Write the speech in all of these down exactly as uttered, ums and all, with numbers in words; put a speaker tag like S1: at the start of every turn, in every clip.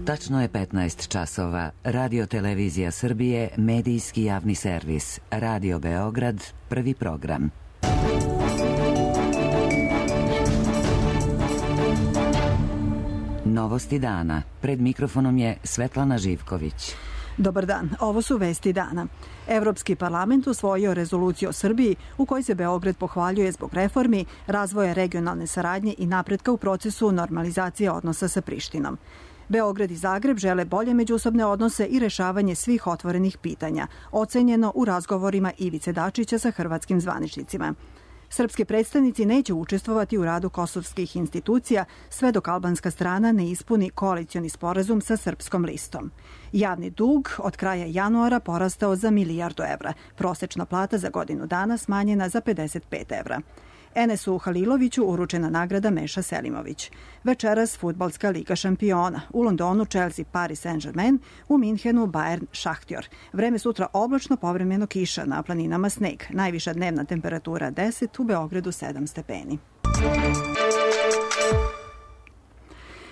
S1: Tačno je petnaest časova. Radio Televizija Srbije, medijski javni servis. Radio Beograd, prvi program. Novosti dana. Pred mikrofonom je Svetlana Živković.
S2: Dobar dan, ovo su vesti dana. Evropski parlament usvojio rezoluciju o Srbiji u kojoj se Beograd pohvaljuje zbog reformi, razvoja regionalne saradnje i napretka u procesu normalizacije odnosa sa Prištinom. Beograd i Zagreb žele bolje međusobne odnose i rešavanje svih otvorenih pitanja, ocenjeno u razgovorima Ivice Dačića sa hrvatskim zvaničnicima. Srpski predstavnici neće učestvovati u radu kosovskih institucija sve dok albanska strana ne ispuni koalicioni sporazum sa Srpskom listom. Javni dug od kraja januara porastao za milijardu evra. Prosečna plata za godinu dana smanjena za pedeset pet evra. Enesu Haliloviću uručena nagrada Meša Selimović. Večeras fudbalska liga šampiona. U Londonu Chelsea Paris Saint-Germain, u Minhenu Bayern Šahtjor. Vreme sutra oblačno, povremeno kiša, na planinama sneg. Najviša dnevna temperatura deset, u Beogradu sedam stepeni.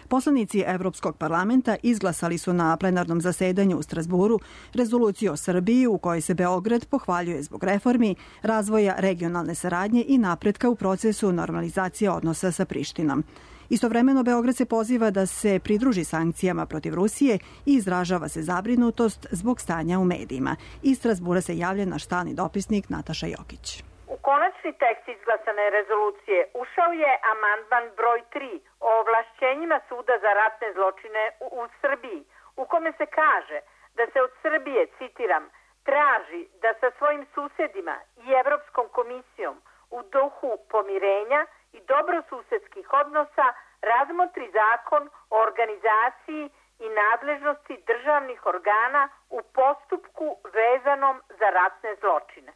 S2: Poslanici Evropskog parlamenta izglasali su na plenarnom zasedanju u Strazburu rezoluciju o Srbiji u kojoj se Beograd pohvaljuje zbog reformi, razvoja regionalne saradnje i napretka u procesu normalizacije odnosa sa Prištinom. Istovremeno Beograd se poziva da se pridruži sankcijama protiv Rusije i izražava se zabrinutost zbog stanja u medijima. Iz Strazbura se javlja naš stalni dopisnik Nataša Jokić.
S3: U konačni tekst izglasane rezolucije ušao je amandman broj tri o ovlašćenjima Suda za ratne zločine u, u Srbiji, u kome se kaže da se od Srbije, citiram, traži da sa svojim susedima i Evropskom komisijom u duhu pomirenja i dobrosusedskih odnosa razmotri zakon o organizaciji i nadležnosti državnih organa u postupku vezanom za ratne zločine.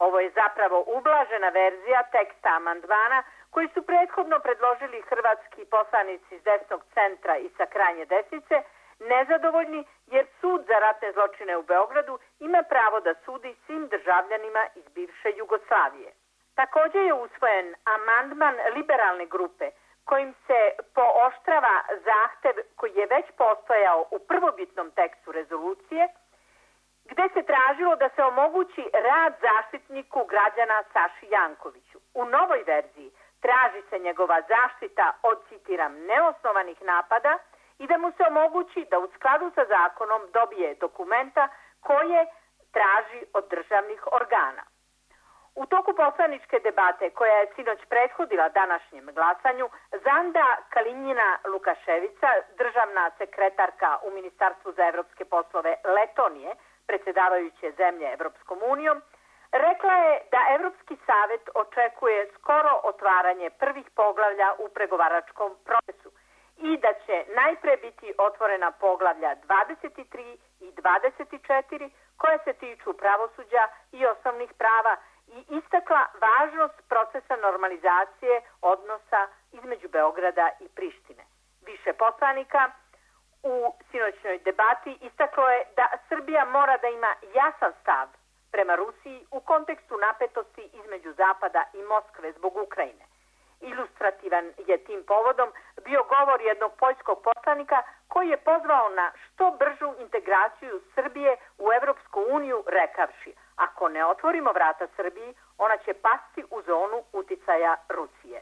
S3: Ovo je zapravo ublažena verzija teksta amandmana koji su prethodno predložili hrvatski poslanici iz desnog centra i sa krajnje desnice, nezadovoljni jer Sud za ratne zločine u Beogradu ima pravo da sudi svim državljanima iz bivše Jugoslavije. Također je usvojen amandman liberalne grupe kojim se pooštrava zahtev koji je već postojao u prvobitnom tekstu rezolucije, gde se tražilo da se omogući rad zaštitniku građana Saši Jankoviću. U novoj verziji traži se njegova zaštita od, citiram, neosnovanih napada i da mu se omogući da u skladu sa zakonom dobije dokumenta koje traži od državnih organa. U toku poslaničke debate koja je sinoć prethodila današnjem glasanju, Zanda Kalinjina Lukaševica, državna sekretarka u Ministarstvu za evropske poslove Letonije, predsjedavajuće zemlje Evropskom unijom, rekla je da Evropski savet očekuje skoro otvaranje prvih poglavlja u pregovaračkom procesu i da će najpre biti otvorena poglavlja dvadeset tri i dvadeset četiri koja se tiču pravosuđa i osnovnih prava i istakla važnost procesa normalizacije odnosa između Beograda i Prištine. Više poslanika u sinoćnoj debati istaklo je da Srbija mora da ima jasan stav prema Rusiji u kontekstu napetosti između Zapada i Moskve zbog Ukrajine. Ilustrativan je tim povodom bio govor jednog poljskog poslanika koji je pozvao na što bržu integraciju Srbije u Evropsku uniju rekavši: ako ne otvorimo vrata Srbiji, ona će pasti u zonu uticaja Rusije.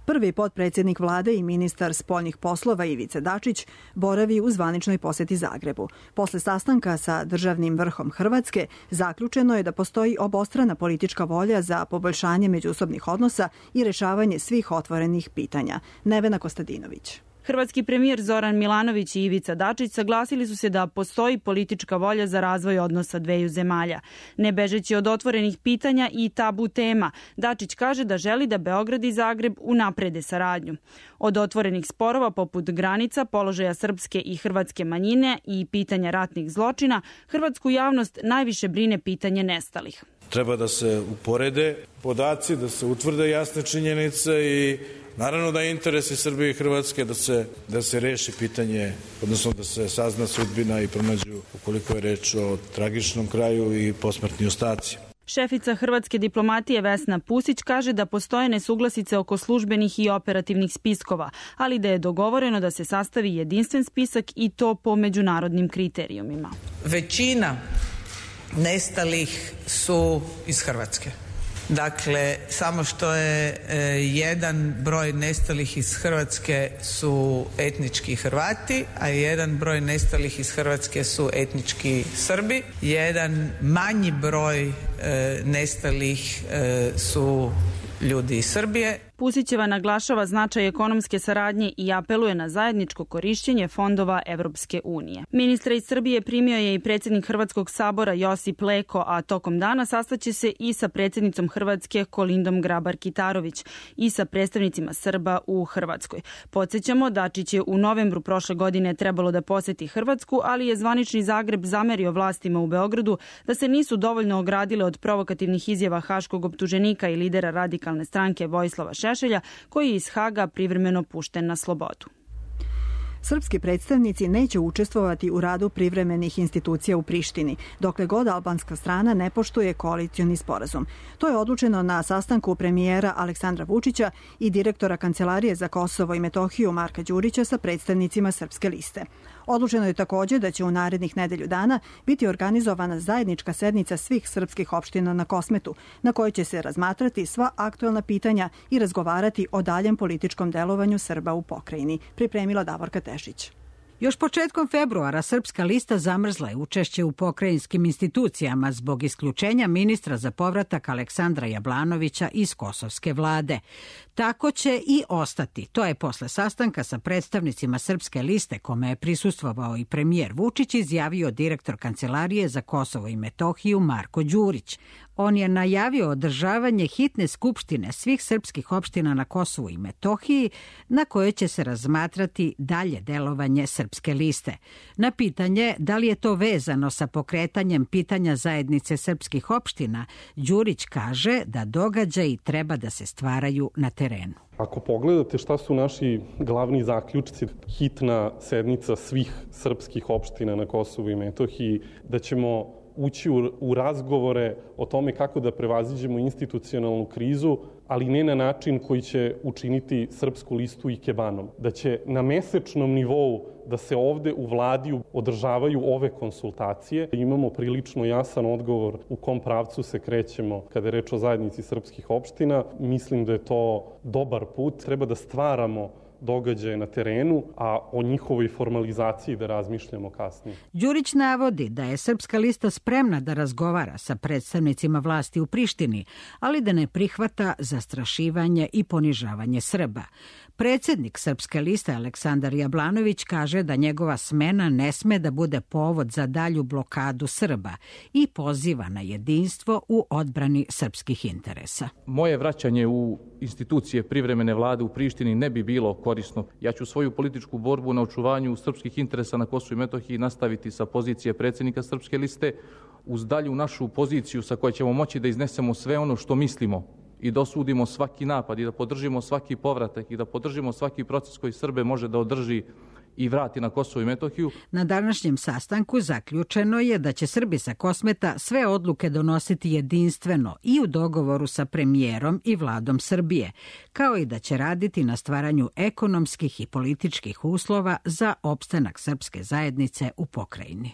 S2: Prvi potpredsjednik vlade i ministar spoljnih poslova Ivica Dačić boravi u zvaničnoj poseti Zagrebu. Posle sastanka sa državnim vrhom Hrvatske zaključeno je da postoji obostrana politička volja za poboljšanje međusobnih odnosa i rešavanje svih otvorenih pitanja. Nevena Kostadinović.
S4: Hrvatski premijer Zoran Milanović i Ivica Dačić saglasili su se da postoji politička volja za razvoj odnosa dveju zemalja. Ne bežeći od otvorenih pitanja i tabu tema, Dačić kaže da želi da Beograd i Zagreb unaprede saradnju. Od otvorenih sporova poput granica, položaja srpske i hrvatske manjine i pitanja ratnih zločina, hrvatsku javnost najviše brine pitanje nestalih.
S5: Treba da se uporede podaci, da se utvrde jasne činjenice i naravno da je interes i Srbije i Hrvatske da se, da se reši pitanje, odnosno da se sazna sudbina i pronađu, ukoliko je reč o tragičnom kraju, i posmrtni ostaci.
S4: Šefica hrvatske diplomatije Vesna Pusić kaže da postoje nesuglasice oko službenih i operativnih spiskova, ali da je dogovoreno da se sastavi jedinstven spisak i to po međunarodnim kriterijumima.
S6: Većina nestalih su iz Hrvatske. Dakle, samo što je e, jedan broj nestalih iz Hrvatske su etnički Hrvati, a jedan broj nestalih iz Hrvatske su etnički Srbi. Jedan manji broj e, nestalih e, su ljudi iz Srbije.
S4: Pusićeva naglašava značaj ekonomske saradnje i apeluje na zajedničko korišćenje fondova Evropske unije. Ministra iz Srbije primio je i predsjednik Hrvatskog sabora Josip Leko, a tokom dana sastaće se i sa predsjednicom Hrvatske Kolindom Grabar-Kitarović i sa predstavnicima Srba u Hrvatskoj. Podsjećamo, Dačić je u novembru prošle godine trebalo da poseti Hrvatsku, ali je zvanični Zagreb zamerio vlastima u Beogradu da se nisu dovoljno ogradile od provokativnih izjava haškog optuženika i lidera radikalne stranke Vojislava Šešelja, koji je iz Haga privremeno pušten na slobodu.
S2: Srpski predstavnici neće učestvovati u radu privremenih institucija u Prištini, dokle god albanska strana ne poštuje koalicioni sporazum. To je odlučeno na sastanku premijera Aleksandra Vučića i direktora Kancelarije za Kosovo i Metohiju Marka Đurića sa predstavnicima Srpske liste. Odlučeno je također da će u narednih nedelju dana biti organizovana zajednička sednica svih srpskih opština na Kosmetu, na kojoj će se razmatrati sva aktuelna pitanja i razgovarati o daljem političkom delovanju Srba u pokrajini, pripremila Davorka Tešić.
S7: Još početkom februara Srpska lista zamrzla je učešće u pokrajinskim institucijama zbog isključenja ministra za povratak Aleksandra Jablanovića iz kosovske vlade. Tako će i ostati. To je posle sastanka sa predstavnicima Srpske liste, kome je prisustvovao i premijer Vučić, izjavio direktor Kancelarije za Kosovo i Metohiju Marko Đurić. On je najavio održavanje hitne skupštine svih srpskih opština na Kosovu i Metohiji, na kojoj će se razmatrati dalje delovanje Srpske liste. Na pitanje da li je to vezano sa pokretanjem pitanja zajednice srpskih opština, Đurić kaže da događaji treba da se stvaraju na terenu.
S8: Ako pogledate šta su naši glavni zaključci, hitna sednica svih srpskih opština na Kosovu i Metohiji, da ćemo ući u, u razgovore o tome kako da prevaziđemo institucionalnu krizu, ali ne na način koji će učiniti Srpsku listu ikebanom. Da će na mesečnom nivou da se ovde u vladi održavaju ove konsultacije. Imamo prilično jasan odgovor u kom pravcu se krećemo kada je reč o zajednici srpskih opština. Mislim da je to dobar put. Treba da stvaramo događaje na terenu, a o njihovoj formalizaciji da razmišljamo kasnije.
S7: Đurić navodi da je Srpska lista spremna da razgovara sa predstavnicima vlasti u Prištini, ali da ne prihvata zastrašivanje i ponižavanje Srba. Predsjednik Srpske liste Aleksandar Jablanović kaže da njegova smena ne sme da bude povod za dalju blokadu Srba i poziva na jedinstvo u odbrani srpskih interesa.
S9: Moje vraćanje u institucije privremene vlade u Prištini ne bi bilo korisno. Ja ću svoju političku borbu na očuvanju srpskih interesa na Kosovu i Metohiji nastaviti sa pozicije predsjednika Srpske liste uz dalju našu poziciju sa kojoj ćemo moći da iznesemo sve ono što mislimo i da osudimo svaki napad i da podržimo svaki povratak i da podržimo svaki proces koji Srbe može da održi i vrati na Kosovo i Metohiju.
S7: Na današnjem sastanku zaključeno je da će Srbi sa Kosmeta sve odluke donositi jedinstveno i u dogovoru sa premijerom i vladom Srbije, kao i da će raditi na stvaranju ekonomskih i političkih uslova za opstanak srpske zajednice u pokrajini.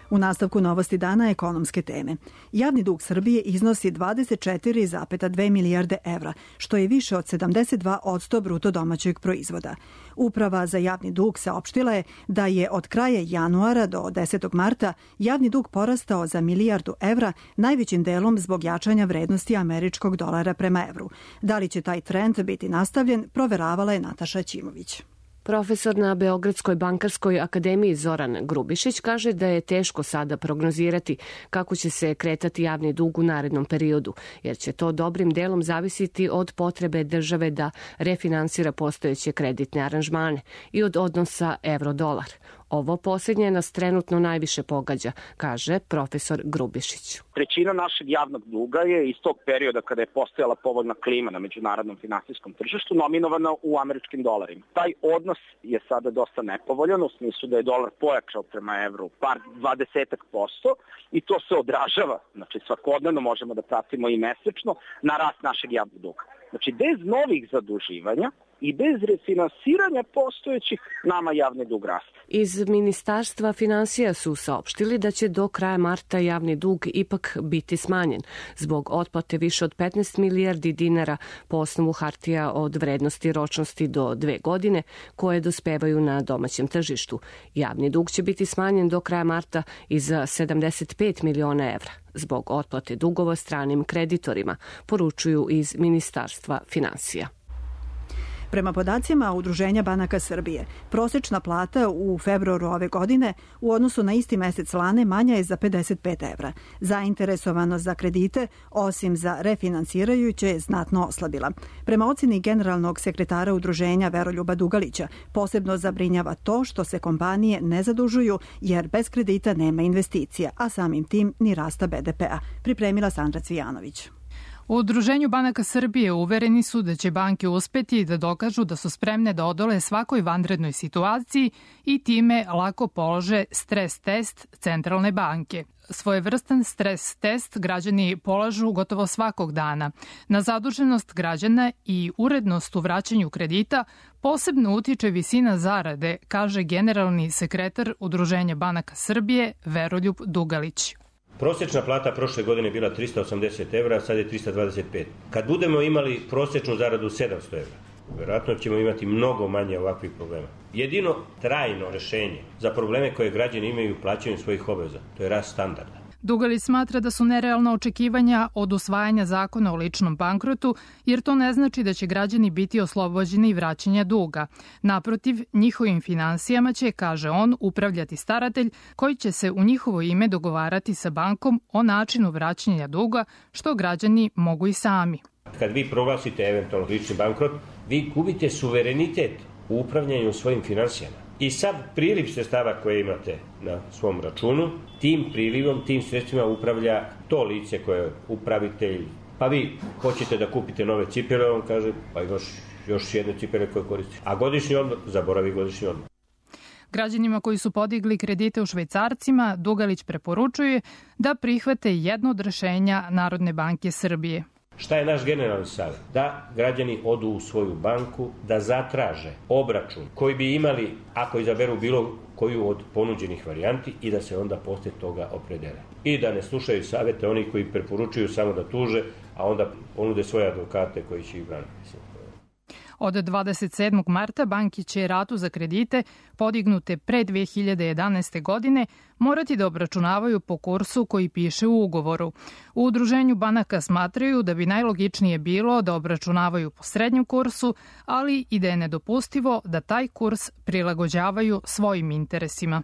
S2: U nastavku novosti dana ekonomske teme. Javni dug Srbije iznosi dvadeset četiri zarez dve milijarde evra, što je više od sedamdeset dva posto bruto domaćeg proizvoda. Uprava za javni dug saopštila je da je od kraja januara do desetog marta javni dug porastao za milijardu evra, najvećim delom zbog jačanja vrednosti američkog dolara prema evru. Da li će taj trend biti nastavljen, proveravala je Nataša Ćimović.
S10: Profesor na Beogradskoj bankarskoj akademiji Zoran Grubišić kaže da je teško sada prognozirati kako će se kretati javni dug u narednom periodu, jer će to dobrim delom zavisiti od potrebe države da refinansira postojeće kreditne aranžmane i od odnosa evro-dolar. Ovo posljednje nas trenutno najviše pogađa, kaže profesor Grubišić.
S11: Trećina našeg javnog duga je iz tog perioda kada je postojala povoljna klima na međunarodnom finansijskom tržištu nominovana u američkim dolarima. Taj odnos je sada dosta nepovoljan u smislu da je dolar pojačao prema evru par dvadesetak posto i to se odražava, znači svakodnevno možemo da pratimo i mesečno, na rast našeg javnog duga. Znači bez novih zaduživanja i bez refinansiranja postojećih nama javni dug raste.
S10: Iz Ministarstva finansija su saopštili da će do kraja marta javni dug ipak biti smanjen zbog otplate više od petnaest milijardi dinara po osnovu hartija od vrednosti ročnosti do dve godine koje dospevaju na domaćem tržištu. Javni dug će biti smanjen do kraja marta i za sedamdeset pet miliona evra zbog otplate dugova stranim kreditorima, poručuju iz Ministarstva finansija.
S2: Prema podacima Udruženja banaka Srbije, prosečna plata u februaru ove godine u odnosu na isti mesec lane manja je za pedeset pet evra. Zainteresovanost za kredite, osim za refinansirajuće, je znatno oslabila. Prema oceni generalnog sekretara Udruženja Veroljuba Dugalića, posebno zabrinjava to što se kompanije ne zadužuju jer bez kredita nema investicija, a samim tim ni rasta be de pea. Pripremila Sandra Cvijanović.
S12: U Udruženju banaka Srbije uvereni su da će banke uspeti da dokažu da su spremne da odole svakoj vanrednoj situaciji i time lako polože stres test Centralne banke. Svojevrstan stres test građani polažu gotovo svakog dana. Na zaduženost građana i urednost u vraćanju kredita posebno utiče visina zarade, kaže generalni sekretar Udruženja banaka Srbije Veroljub Dugalić.
S13: Prosječna plata prošle godine bila trista osamdeset evra, sad je trista dvadeset pet. Kad budemo imali prosječnu zaradu sedamsto evra, vjerojatno ćemo imati mnogo manje ovakvih problema. Jedino trajno rešenje za probleme koje građani imaju u plaćanju svojih obaveza, to je rast standarda.
S12: Dugalić smatra da su nerealna očekivanja od usvajanja zakona o ličnom bankrotu, jer to ne znači da će građani biti oslobođeni vraćanja duga. Naprotiv, njihovim finansijama će, kaže on, upravljati staratelj koji će se u njihovo ime dogovarati sa bankom o načinu vraćanja duga, što građani mogu i sami.
S13: Kad vi proglasite eventualno lični bankrot, vi gubite suverenitet u upravljanju svojim finansijama. I sad priliv sredstava koje imate na svom računu, tim prilivom, tim sredstvima upravlja to lice koje je upravitelj. Pa vi hoćete da kupite nove cipele, on kaže, pa još, još jedne cipele koje koristite. A godišnji odmor, zaboravi godišnji odmor.
S12: Građanima koji su podigli kredite u švajcarcima, Dugalić preporučuje da prihvate jedno od rešenja Narodne banke Srbije.
S13: Šta je naš generalni savjet? Da građani odu u svoju banku, da zatraže obračun koji bi imali ako izaberu bilo koju od ponuđenih varijanti i da se onda posle toga opredele. I da ne slušaju savjete oni koji preporučuju samo da tuže, a onda ponude svoje advokate koji će ih braniti.
S12: Od dvadeset sedmog marta banki će ratu za kredite podignute pre dve hiljade jedanaeste. godine morati da obračunavaju po kursu koji piše u ugovoru. U Udruženju banaka smatraju da bi najlogičnije bilo da obračunavaju po srednjem kursu, ali i da je nedopustivo da taj kurs prilagođavaju svojim interesima.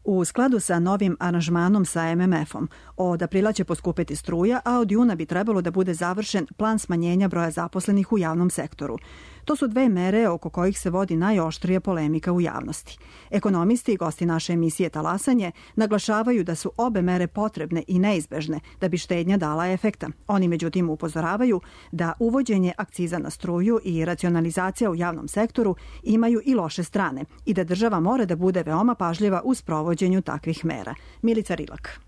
S2: U skladu sa novim aranžmanom sa em em efom, od aprila će poskupeti struja, a od juna bi trebalo da bude završen plan smanjenja broja zaposlenih u javnom sektoru. To su dve mere oko kojih se vodi najoštrija polemika u javnosti. Ekonomisti i gosti naše emisije Talasanje naglašavaju da su obe mere potrebne i neizbežne da bi štednja dala efekta. Oni međutim upozoravaju da uvođenje akciza na struju i racionalizacija u javnom sektoru imaju i loše strane i da država mora da bude veoma pažljiva u sprovođenju takvih mera. Milica Rilak.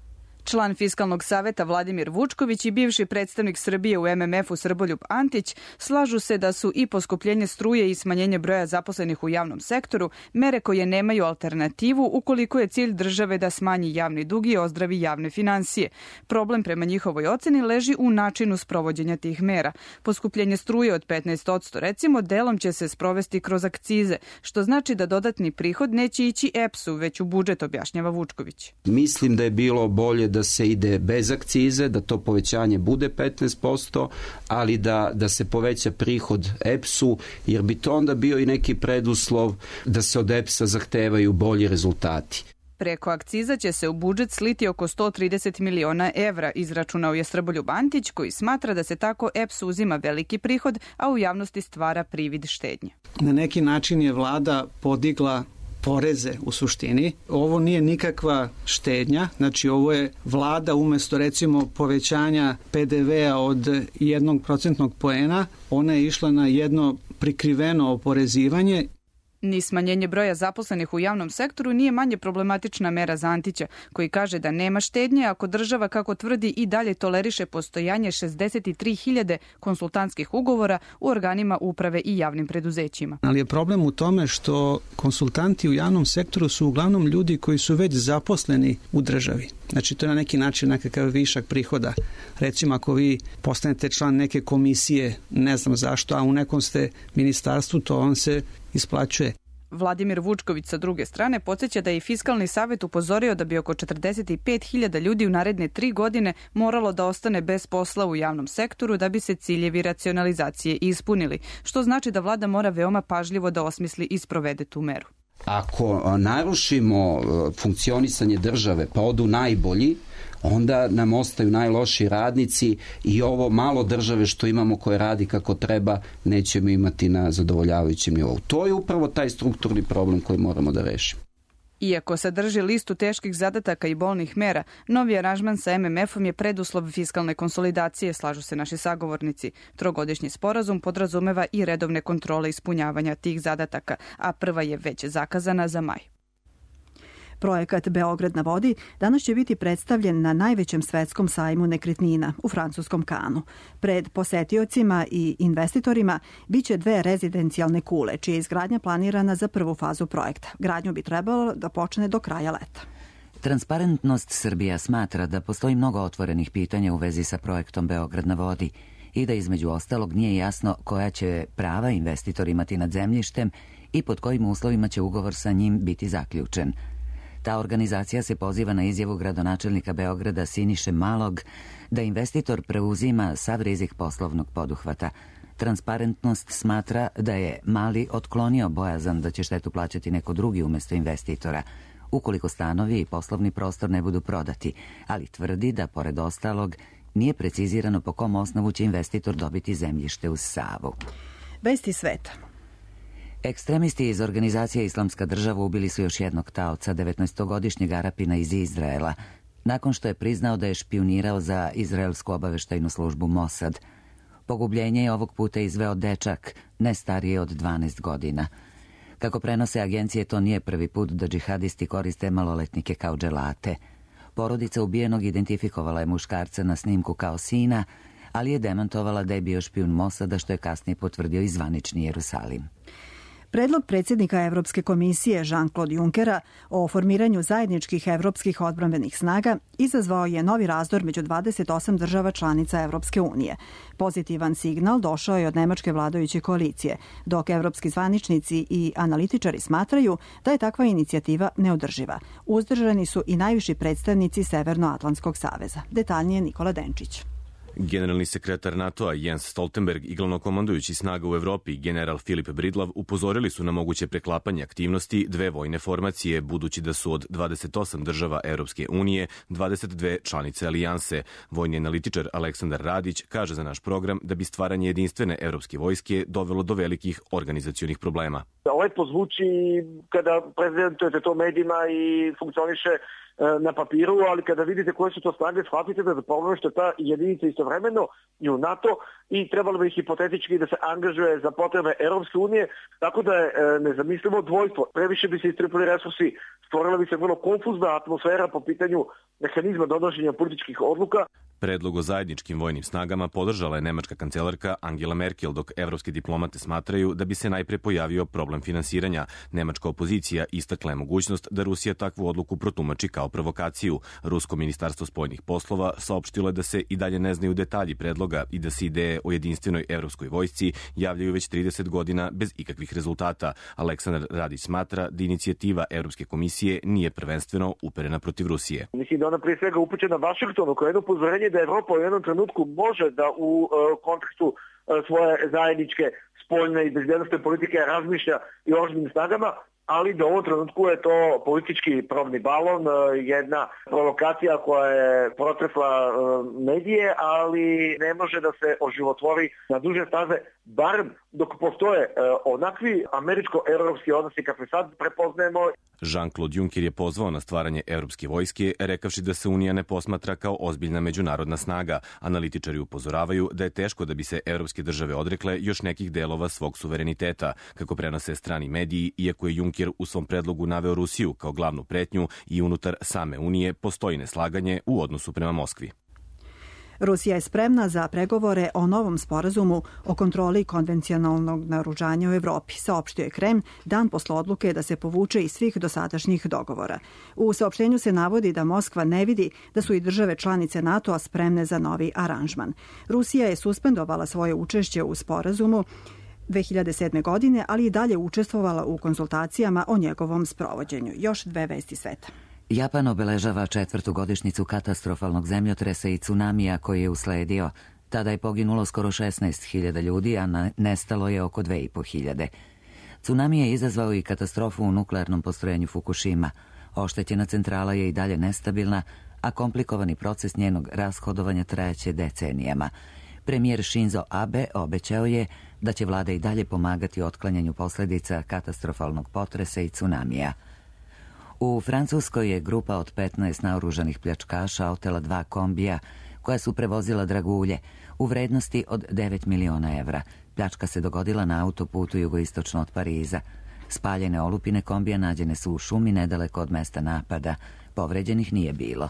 S14: Član Fiskalnog saveta Vladimir Vučković i bivši predstavnik Srbije u em em efu Srboljub Antić slažu se da su i poskupljenje struje i smanjenje broja zaposlenih u javnom sektoru mere koje nemaju alternativu ukoliko je cilj države da smanji javni dug i ozdravi javne finansije. Problem prema njihovoj oceni leži u načinu sprovođenja tih mera. Poskupljenje struje od petnaest posto recimo delom će se sprovesti kroz akcize, što znači da dodatni prihod neće ići e pe es u, već u budžet, objašnjava Vučković.
S15: Mislim da je bilo bolje da se ide bez akcize, da to povećanje bude petnaest posto, ali da, da se poveća prihod e pe es u, jer bi to onda bio i neki preduslov da se od e pe es a zahtevaju bolji rezultati.
S14: Preko akciza će se u budžet sliti oko sto trideset miliona evra, izračunao je Srboljub Antić, koji smatra da se tako e pe es uzima veliki prihod, a u javnosti stvara privid štednje.
S16: Na neki način je vlada podigla poreze u suštini. Ovo nije nikakva štednja, znači ovo je vlada umesto recimo povećanja P D V-a od jednog procentnog poena, ona je išla na jedno prikriveno oporezivanje.
S14: Ni smanjenje broja zaposlenih u javnom sektoru nije manje problematična mera za Antića, koji kaže da nema štednje ako država, kako tvrdi, i dalje toleriše postojanje šezdeset tri hiljade konsultantskih ugovora u organima uprave i javnim preduzećima.
S16: Ali je problem u tome što konsultanti u javnom sektoru su uglavnom ljudi koji su već zaposleni u državi. Znači to je na neki način nekakav višak prihoda. Recimo ako vi postanete član neke komisije, ne znam zašto, a u nekom ste ministarstvu, to vam se isplaćuje.
S14: Vladimir Vučković sa druge strane podsjeća da je i Fiskalni savet upozorio da bi oko četrdeset pet hiljada ljudi u naredne tri godine moralo da ostane bez posla u javnom sektoru da bi se ciljevi racionalizacije ispunili, što znači da vlada mora veoma pažljivo da osmisli i sprovede tu meru.
S15: Ako narušimo funkcionisanje države pa odu najbolji, onda nam ostaju najlošiji radnici i ovo malo države što imamo koje radi kako treba nećemo imati na zadovoljavajućem nivou. To je upravo taj strukturni problem koji moramo da rešimo.
S14: Iako sadrži listu teških zadataka i bolnih mera, novi aranžman sa M M F-om je preduslov fiskalne konsolidacije, slažu se naši sagovornici. Trogodišnji sporazum podrazumeva i redovne kontrole ispunjavanja tih zadataka, a prva je već zakazana za maj.
S2: Projekat Beograd na vodi danas će biti predstavljen na najvećem svetskom sajmu nekretnina u francuskom Kanu. Pred posetiocima i investitorima biće dve rezidencijalne kule, čija je izgradnja planirana za prvu fazu projekta. Gradnju bi trebalo da počne do kraja leta.
S1: Transparentnost Srbija smatra da postoji mnogo otvorenih pitanja u vezi sa projektom Beograd na vodi i da između ostalog nije jasno koja će prava investitor imati nad zemljištem i pod kojim uslovima će ugovor sa njim biti zaključen. Ta organizacija se poziva na izjavu gradonačelnika Beograda Siniše Malog da investitor preuzima sav rizik poslovnog poduhvata. Transparentnost smatra da je Mali otklonio bojazan da će štetu plaćati neko drugi umesto investitora, ukoliko stanovi i poslovni prostor ne budu prodati, ali tvrdi da, pored ostalog, nije precizirano po kom osnovu će investitor dobiti zemljište uz Savu.
S2: Vesti sveta.
S1: Ekstremisti iz organizacije Islamska država ubili su još jednog taoca, devetnaestogodišnjeg Arapina iz Izraela, nakon što je priznao da je špijunirao za izraelsku obaveštajnu službu Mossad. Pogubljenje je ovog puta izveo dečak, ne stariji od dvanaest godina. Kako prenose agencije, to nije prvi put da džihadisti koriste maloletnike kao dželate. Porodica ubijenog identifikovala je muškarca na snimku kao sina, ali je demantovala da je bio špijun Mossada, što je kasnije potvrdio i zvanični Jerusalim.
S2: Predlog predsjednika Evropske komisije Jean-Claude Junckera o formiranju zajedničkih evropskih odbrambenih snaga izazvao je novi razdor među dvadeset osam država članica Evropske unije. Pozitivan signal došao je od nemačke vladajuće koalicije, dok evropski zvaničnici i analitičari smatraju da je takva inicijativa neodrživa. Uzdržani su i najviši predstavnici Severnoatlantskog saveza. Detaljnije Nikola Denčić.
S17: Generalni sekretar NATO-a Jens Stoltenberg i glavnokomandujući snaga u Evropi general Filip Bridlav upozorili su na moguće preklapanje aktivnosti dve vojne formacije, budući da su od dvadeset osam država Evropske unije dvadeset dve članice alijanse. Vojni analitičar Aleksandar Radić kaže za naš program da bi stvaranje jedinstvene evropske vojske dovelo do velikih organizacionih problema.
S18: Lepo zvuči kada prezentujete to medijima i funkcioniše na papiru, ali kada vidite koje su to snage, shvatite da zapravo što ta jedinica istovremeno i u NATO i trebalo bi hipotetički da se angažuje za potrebe Europske unije, tako da je nezamislivo dvojstvo. Previše bi se istrpili resursi, stvorila bi se vrlo konfuzna atmosfera po pitanju mehanizma donošenja političkih odluka.
S17: Predlog o zajedničkim vojnim snagama podržala je nemačka kancelarka Angela Merkel, dok evropske diplomate smatraju da bi se najpre pojavio problem finansiranja. Nemačka opozicija istakla je mogućnost da Rusija takvu odluku protumači kao provokaciju. Rusko ministarstvo spoljnih poslova saopštilo je da se i dalje ne znaju detalji predloga i da se ideje o jedinstvenoj evropskoj vojsci javljaju već trideset godina bez ikakvih rezultata. Aleksandar Radić smatra da inicijativa Evropske komisije nije prvenstveno uperena protiv Rusije.
S18: Mislim da ona prije svega upućena Vašingtonu kao jedno upozorenje da Evropa u jednom trenutku može da u uh, kontekstu uh, svoje zajedničke spoljne i bezbjednosne politike razmišlja i o oružanim snagama, ali da u ovom trenutku je to politički probni balon, uh, jedna provokacija koja je protresla uh, medije, ali ne može da se oživotvori na duže staze, barem dok postoje e, onakvi američko-evropski odnosi kakve sad prepoznajemo.
S17: Jean-Claude Juncker je pozvao na stvaranje evropske vojske, rekavši da se Unija ne posmatra kao ozbiljna međunarodna snaga. Analitičari upozoravaju da je teško da bi se evropske države odrekle još nekih delova svog suvereniteta, kako prenose strani mediji, iako je Juncker u svom predlogu naveo Rusiju kao glavnu pretnju i unutar same Unije postoji neslaganje u odnosu prema Moskvi.
S2: Rusija je spremna za pregovore o novom sporazumu o kontroli konvencionalnog naoružanja u Evropi, saopštio je Kreml dan posle odluke da se povuče iz svih dosadašnjih dogovora. U saopštenju se navodi da Moskva ne vidi da su i države članice NATO-a spremne za novi aranžman. Rusija je suspendovala svoje učešće u sporazumu dve hiljade sedme. godine, ali i dalje učestvovala u konsultacijama o njegovom sprovođenju. Još dve vesti sveta.
S1: Japan obeležava četvrtu godišnjicu katastrofalnog zemljotresa i tsunamija koji je usledio. Tada je poginulo skoro šesnaest hiljada ljudi, a nestalo je oko dve i po hiljade. Tsunami je izazvao i katastrofu u nuklearnom postrojenju Fukushima. Oštećena centrala je i dalje nestabilna, a komplikovani proces njenog rashodovanja trajaće decenijama. Premijer Shinzo Abe obećao je da će vlada i dalje pomagati otklanjanju posledica katastrofalnog potresa i tsunamija. U Francuskoj je grupa od petnaest naoružanih pljačkaša otela dva kombija koja su prevozila dragulje u vrednosti od devet miliona evra. Pljačka se dogodila na autoputu jugoistočno od Pariza. Spaljene olupine kombija nađene su u šumi nedaleko od mesta napada. Povređenih nije bilo.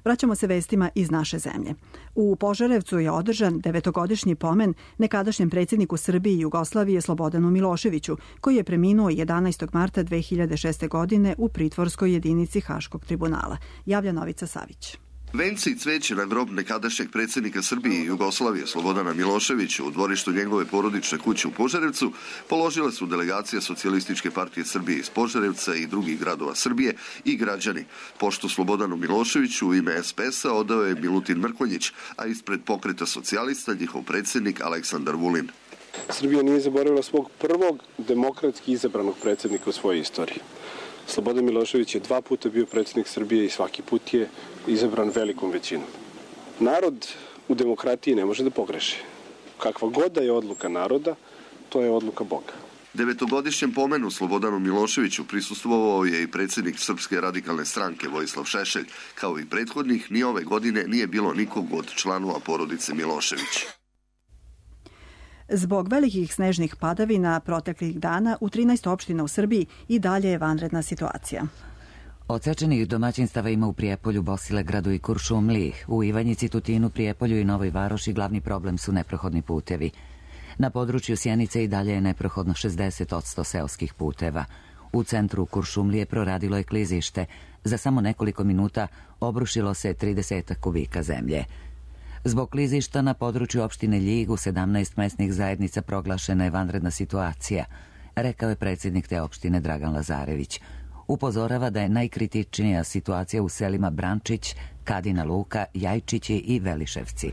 S2: Vraćamo se vestima iz naše zemlje. U Požarevcu je održan devetogodišnji pomen nekadašnjem predsjedniku Srbije i Jugoslavije Slobodanu Miloševiću, koji je preminuo jedanaestog marta dve hiljade šeste. godine u pritvorskoj jedinici Haškog tribunala. Javlja Novica Savić.
S19: Venci i cveće na grob nekadašnjeg predsjednika Srbije i Jugoslavije Slobodana Miloševića u dvorištu njegove porodične kuće u Požarevcu položile su delegacija Socijalističke partije Srbije iz Požarevca i drugih gradova Srbije i građani. Pošto Slobodanu Miloševiću u ime es pe es-a odao je Milutin Mrkonjić, a ispred Pokreta socijalista njihov predsjednik Aleksandar Vulin.
S20: Srbija nije zaboravila svog prvog demokratski izabranog predsjednika u svojoj istoriji. Slobodan Milošević je dva puta bio predsjednik Srbije i svaki put je izabran velikom većinom. Narod u demokratiji ne može da pogreši. Kakva god da je odluka naroda, to je odluka Boga.
S19: Devetogodišnjem pomenu Slobodanu Miloševiću prisustvovao je i predsjednik Srpske radikalne stranke Vojislav Šešelj. Kao i prethodnih, ni ove godine nije bilo nikog od članova porodice Milošević.
S2: Zbog velikih snežnih padavina proteklih dana u trinaest opština u Srbiji i dalje je vanredna situacija.
S1: Odsečenih domaćinstava ima u Prijepolju, Bosilegradu i Kuršumliji. U Ivanjici, Tutinu, Prijepolju i Novoj Varoši glavni problem su neprohodni putevi. Na području Sjenice i dalje je neprohodno šezdeset posto seoskih puteva. U centru Kuršumlije proradilo je klizište. Za samo nekoliko minuta obrušilo se trideset kubika zemlje. Zbog klizišta na području opštine Ljig u sedamnaest mesnih zajednica proglašena je vanredna situacija, rekao je predsjednik te opštine Dragan Lazarević. Upozorava da je najkritičnija situacija u selima Brančić, Kadina Luka, Jajčići i Veliševci.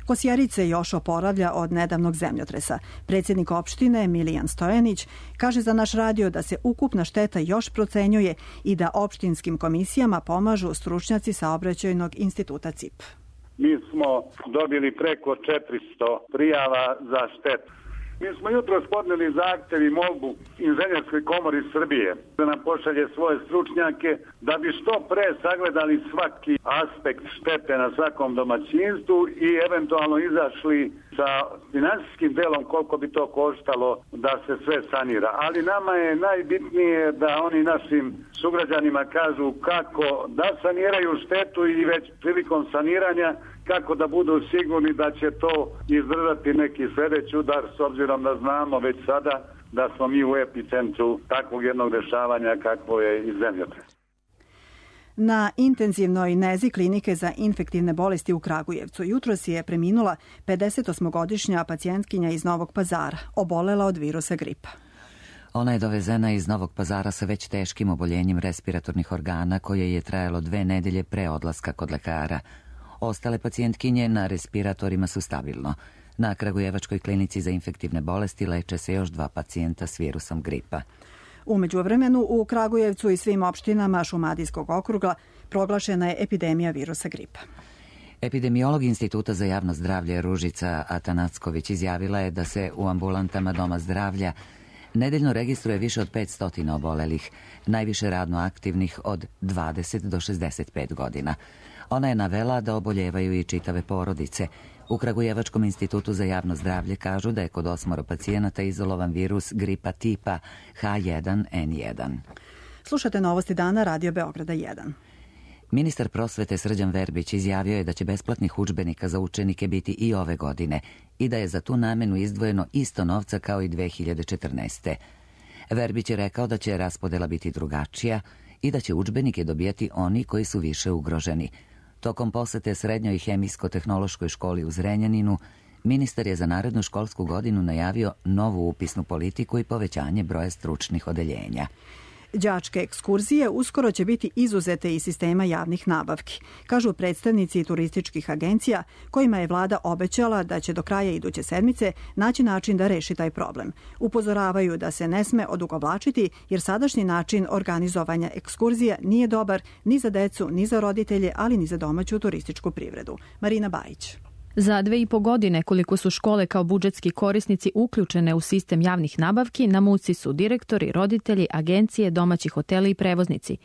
S2: Kosjerice još oporavlja od nedavnog zemljotresa. Predsjednik opštine Milijan Stojanić kaže za naš radio da se ukupna šteta još procenjuje i da opštinskim komisijama pomažu stručnjaci Saobraćajnog instituta C I P.
S21: Mi smo dobili preko četiristo prijava za štetu. Mi smo jutro podneli zahtev i molbu Inženjerskoj komori Srbije da nam pošalje svoje stručnjake da bi što pre sagledali svaki aspekt štete na svakom domaćinstvu i eventualno izašli sa finansijskim delom koliko bi to koštalo da se sve sanira. Ali nama je najbitnije da oni našim sugrađanima kažu kako da saniraju štetu i već prilikom saniranja kako da budu sigurni da će to izdržati neki sljedeći udar, s obzirom da znamo već sada da smo mi u epicentru takvog jednog dešavanja kakvo je i zemljotres.
S2: Na intenzivnoj nezi klinike za infektivne bolesti u Kragujevcu jutros je preminula pedesetosmogodišnja pacijentkinja iz Novog Pazara, obolela od virusa gripa.
S1: Ona je dovezena iz Novog Pazara sa već teškim oboljenjem respiratornih organa koje je trajalo dve nedelje pre odlaska kod lekara. Ostale pacijentkinje na respiratorima su stabilno. Na Kragujevačkoj klinici za infektivne bolesti leče se još dva pacijenta s virusom gripa.
S2: U međuvremenu u Kragujevcu i svim opštinama Šumadijskog okruga proglašena je epidemija virusa gripa.
S1: Epidemiolog Instituta za javno zdravlje Ružica Atanacković izjavila je da se u ambulantama Doma zdravlja nedeljno registruje više od petsto obolelih, najviše radno aktivnih od dvadeset do šezdeset pet godina. Ona je navela da oboljevaju i čitave porodice. U Kragujevačkom institutu za javno zdravlje kažu da je kod osmoro pacijenata izolovan virus gripa tipa H jedan N jedan.
S2: Slušate Novosti dana Radio Beograda jedan.
S1: Ministar prosvete Srđan Verbić izjavio je da će besplatnih udžbenika za učenike biti i ove godine i da je za tu namenu izdvojeno isto novca kao i dve hiljade četrnaeste. Verbić je rekao da će raspodela biti drugačija i da će udžbenike dobijati oni koji su više ugroženi. Tokom posete Srednjoj hemijsko-tehnološkoj školi u Zrenjaninu, ministar je za narednu školsku godinu najavio novu upisnu politiku i povećanje broja stručnih odeljenja.
S2: Đačke ekskurzije uskoro će biti izuzete iz sistema javnih nabavki, kažu predstavnici turističkih agencija kojima je vlada obećala da će do kraja iduće sedmice naći način da reši taj problem. Upozoravaju da se ne sme odugovlačiti jer sadašnji način organizovanja ekskurzija nije dobar ni za decu, ni za roditelje, ali ni za domaću turističku privredu. Marina Bajić.
S3: Za dve i po godine koliko su škole kao budžetski korisnici uključene u sistem javnih nabavki, na muci su direktori, roditelji, agencije, domaći hoteli i prevoznici.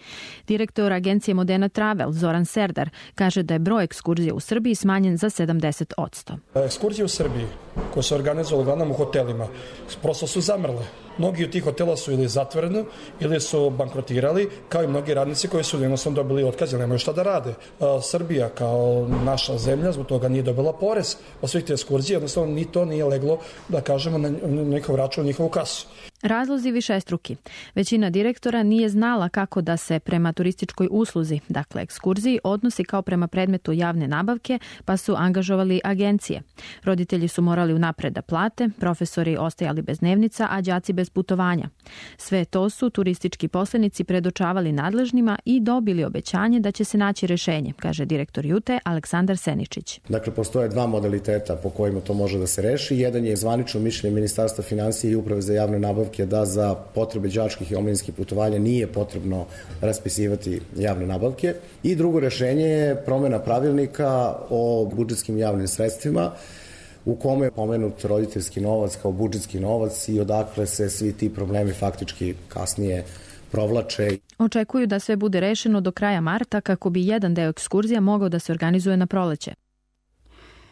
S3: Direktor agencije Modena Travel, Zoran Serdar, kaže da je broj ekskurzija u Srbiji smanjen za sedamdeset posto.
S22: Ekskurzije u Srbiji, koje su organizovali uglavnom u hotelima, prosto su zamrle. Mnogi od tih hotela su ili zatvoreni ili su bankrotirali, kao i mnogi radnici koji su jednostavno dobili otkaz jer nemaju šta da rade. Srbija kao naša zemlja zbog toga nije dobila porez od svih te ekskurzije, jednostavno ni to nije leglo, da kažemo, na njihov račun, njihovu kasu.
S3: Razlozi višestruki. Većina direktora nije znala kako da se prema turističkoj usluzi, dakle ekskurziji, odnosi kao prema predmetu javne nabavke, pa su angažovali agencije. Roditelji su morali unapred da plate, profesori ostajali bez dnevnica, a đaci bez putovanja. Sve to su turistički poslenici predočavali nadležnima i dobili obećanje da će se naći rešenje, kaže direktor Jute Aleksandar Seničić.
S23: Dakle, postoje dva modaliteta po kojima to može da se reši. Jedan je zvanično mišljenje Ministarstva finansija i Uprave za javne nabavke da za potrebe đačkih i omladinskih putovanja nije potrebno raspisivati javne nabavke. I drugo rešenje je promena pravilnika o budžetskim javnim sredstvima u kome je pomenut roditeljski novac kao budžetski novac i odakle se svi ti problemi faktički kasnije provlače.
S3: Očekuju da sve bude rešeno do kraja marta kako bi jedan deo ekskurzija mogao da se organizuje na proleće.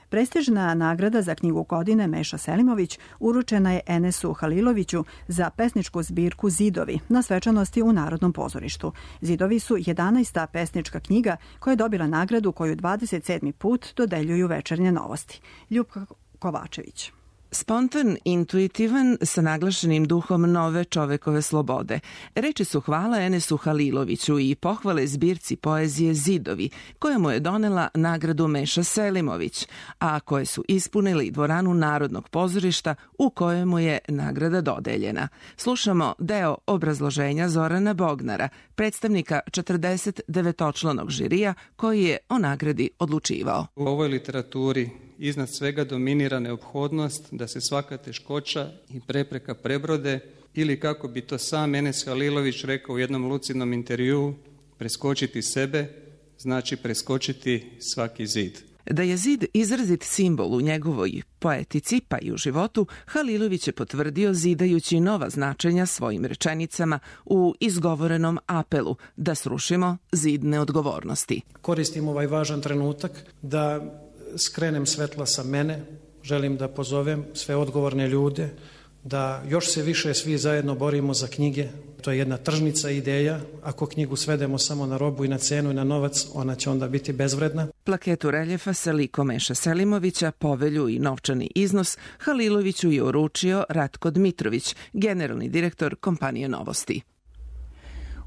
S2: Prestižna nagrada za knjigu godine Meša Selimović uručena je Enesu Haliloviću za pesničku zbirku Zidovi na svečanosti u Narodnom pozorištu. Zidovi su jedanaesta pesnička knjiga koja je dobila nagradu koju dvadeset sedmi put dodeljuju Večernje novosti. Ljupka Kovačević.
S24: Spontan, intuitivan, sa naglašenim duhom nove čovekove slobode. Reči su hvala Enesu Haliloviću i pohvale zbirci poezije Zidovi, koja mu je donela nagradu Meša Selimović, a koje su ispunili dvoranu Narodnog pozorišta u kojemu je nagrada dodeljena. Slušamo deo obrazloženja Zorana Bognara, predstavnika četrdeset devetočlanog žirija koji je o nagradi odlučivao.
S25: U ovoj literaturi iznad svega dominira neophodnost da se svaka teškoća i prepreka prebrode ili, kako bi to sam Enes Halilović rekao u jednom lucidnom intervjuu, preskočiti sebe znači preskočiti svaki zid.
S24: Da je zid izrazit simbol u njegovoj poetici pa i u životu, Halilović je potvrdio zidajući nova značenja svojim rečenicama u izgovorenom apelu da srušimo zid neodgovornosti.
S26: Koristim ovaj važan trenutak da skrenem svetla sa mene, želim da pozovem sve odgovorne ljude da još se više svi zajedno borimo za knjige. To je jedna tržnica ideja. Ako knjigu svedemo samo na robu i na cenu i na novac, ona će onda biti bezvredna.
S24: Plaketu reljefa sa likom Meša Selimovića, povelju i novčani iznos Haliloviću je uručio Ratko Dmitrović, generalni direktor kompanije Novosti.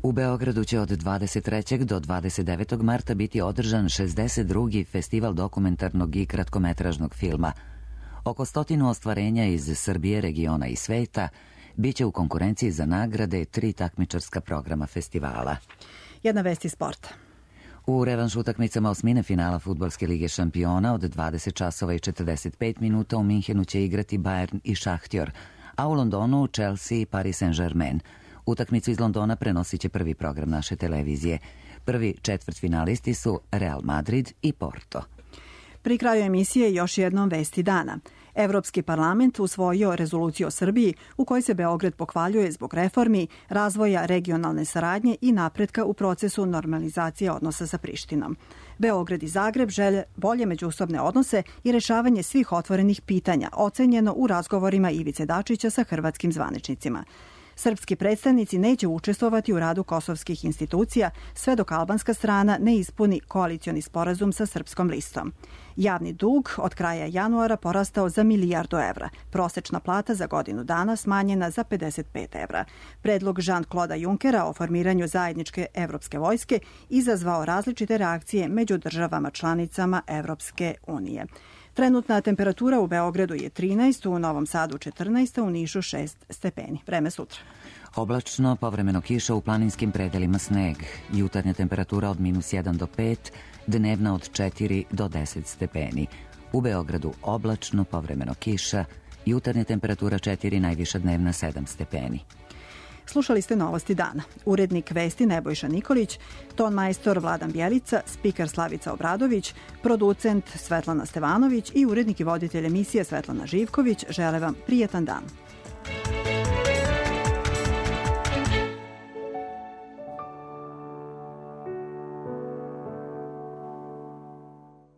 S1: U Beogradu će od dvadeset trećeg do dvadeset devetog marta biti održan šezdeset drugi festival dokumentarnog i kratkometražnog filma. Oko stotinu ostvarenja iz Srbije, regiona i sveta biće u konkurenciji za nagrade tri takmičarska programa festivala.
S2: Jedna vest iz sporta.
S1: U revanš utakmicama osmine finala Fudbalske lige šampiona od dvadeset časova i četrdeset pet minuta u Minhenu će igrati Bayern i Šahtjor, a u Londonu Chelsea i Paris Saint-Germain. Utakmicu iz Londona prenosit će prvi program naše televizije. Prvi četvrtfinalisti su Real Madrid i Porto.
S2: Pri kraju emisije još jednom vesti dana. Evropski parlament usvojio rezoluciju o Srbiji u kojoj se Beograd pohvaljuje zbog reformi, razvoja regionalne saradnje i napretka u procesu normalizacije odnosa sa Prištinom. Beograd i Zagreb žele bolje međusobne odnose i rešavanje svih otvorenih pitanja, ocenjeno u razgovorima Ivice Dačića sa hrvatskim zvaničnicima. Srpski predstavnici neće učestvovati u radu kosovskih institucija sve dok albanska strana ne ispuni koalicioni sporazum sa Srpskom listom. Javni dug od kraja januara porastao za milijardu evra. Prosečna plata za godinu dana smanjena za pedeset pet evra. Predlog Jean-Claude Junckera o formiranju zajedničke evropske vojske izazvao različite reakcije među državama članicama Evropske unije. Trenutna temperatura u Beogradu je trinaest, u Novom Sadu četrnaest, u Nišu šest stepeni. Vreme sutra.
S1: Oblačno, povremeno kiša, u planinskim predelima sneg. Jutarnja temperatura od minus jedan do pet, dnevna od četiri do deset stepeni. U Beogradu oblačno, povremeno kiša, jutarnja temperatura četiri, najviša dnevna sedam stepeni.
S2: Slušali ste Novosti dana. Urednik vesti Nebojša Nikolić, ton majstor Vladan Bjelica, spiker Slavica Obradović, producent Svetlana Stevanović i urednik i voditelj emisije Svetlana Živković žele vam prijetan dan.